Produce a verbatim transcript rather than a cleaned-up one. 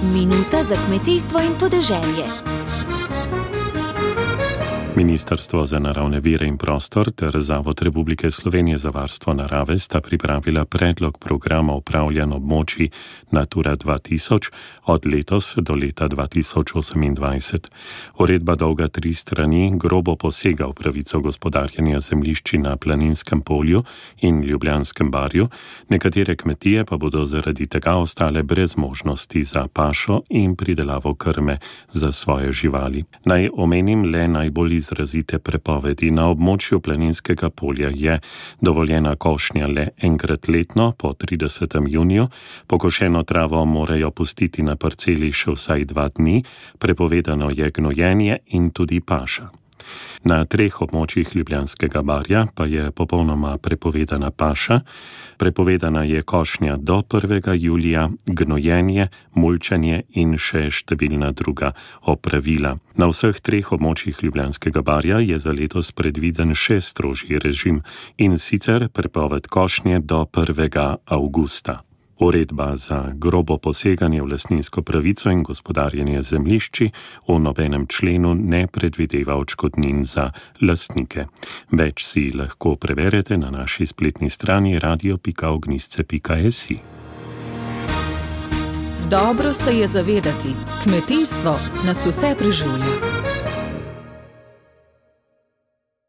Minuta za kmetijstvo in podeželje. Ministrstvo za naravne vire in prostor ter Zavod Republike Slovenije za varstvo narave sta pripravila predlog programa upravljanja območij Natura dva tisoč od letos do leta dva tisoč osemindvajset. Uredba dolga tri strani grobo posega v pravico gospodarjenja zemljišči na Planinskem polju in Ljubljanskem barju, nekatere kmetije pa bodo zaradi tega ostale brez možnosti za pašo in pridelavo krme za svoje živali. Naj omenim le najbolj izrazite prepovedi. Na območju Planinskega polja je dovoljena košnja le enkrat letno po tridesetem juniju, pokošeno travo morajo pustiti na parceli še vsaj dva dni, prepovedano je gnojenje in tudi paša. Na treh območjih Ljubljanskega barja pa je popolnoma prepovedana paša, prepovedana je košnja do prvega julija, gnojenje, mulčenje in še številna druga opravila. Na vseh treh območjih Ljubljanskega barja je za letos predviden še strožji režim, in sicer prepoved košnje do prvega avgusta. Uredba za grobo poseganje v lastninsko pravico in gospodarjenje zemljišči v nobenem členu ne predvideva odškodnin za lastnike. Več si lahko preverite na naši spletni strani radio pika ognjišče pika si. Dobro se je zavedati, kmetijstvo nas vse preživlja.